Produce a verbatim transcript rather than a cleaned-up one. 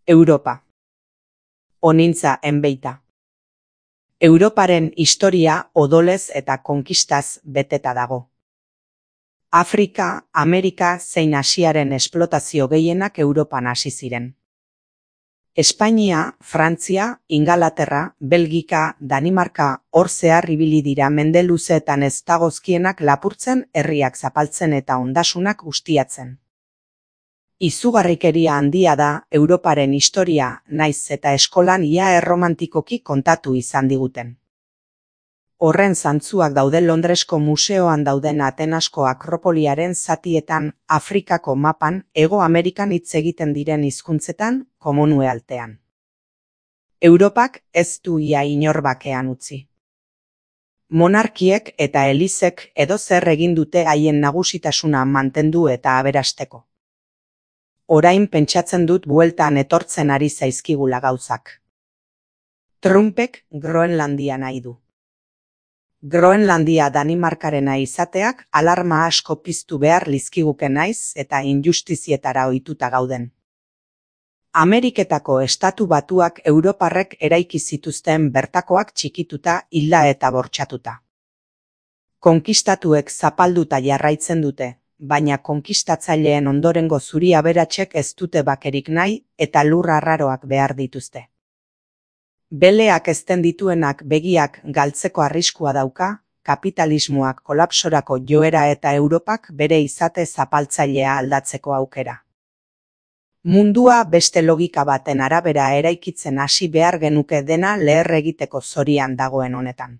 Europa. Honintza enbeita. Europaren historia odolez eta konkistaz beteta dago. Afrika, Amerika zein Asiaren esplotazio gehienak Europan hasi ziren. Espainia, Frantzia, Ingalaterra, Belgika, Danimarka hor zehar ibili dira mende luzeetan ez dagozkienak lapurtzen, herriak zapaltzen eta ondasunak ustiatzen. Izugarrikeria handia da Europaren historia, naiz eta eskolan ia erromantikoki kontatu izan diguten. Horren zantzuak daude Londresko museoan dauden Atenasko Akropoliaren zatietan, Afrikako mapan, Hego Amerikan hitz egiten diren hizkuntzetan, Commonwealthean. Europak ez du ia inor bakean utzi. Monarkiek eta elizek edozer egin dute haien nagusitasuna mantendu eta aberasteko. Orain pentsatzen dut bueltan etortzen ari zaizkigula gauzak. Trumpek Groenlandia nahi du. Groenlandia Danimarkarena izateak alarma asko piztu behar lizkiguke naiz eta injustizietara ohituta gauden. Ameriketako estatu batuak Europarrek eraiki zituzten bertakoak txikituta, hilda eta bortxatuta. Konkistatuek zapalduta jarraitzen dute, baina konkistatzaileen ondorengo zuri aberatsek ez dute bakerik nahi eta lur arraroak behar dituzte. Beleak ezten dituenak begiak galtzeko arriskua dauka, kapitalismoak kolapsorako joera eta Europak bere izate zapaltzailea aldatzeko aukera. Mundua beste logika baten arabera eraikitzen hasi behar genuke dena leher egiteko zorian dagoen honetan.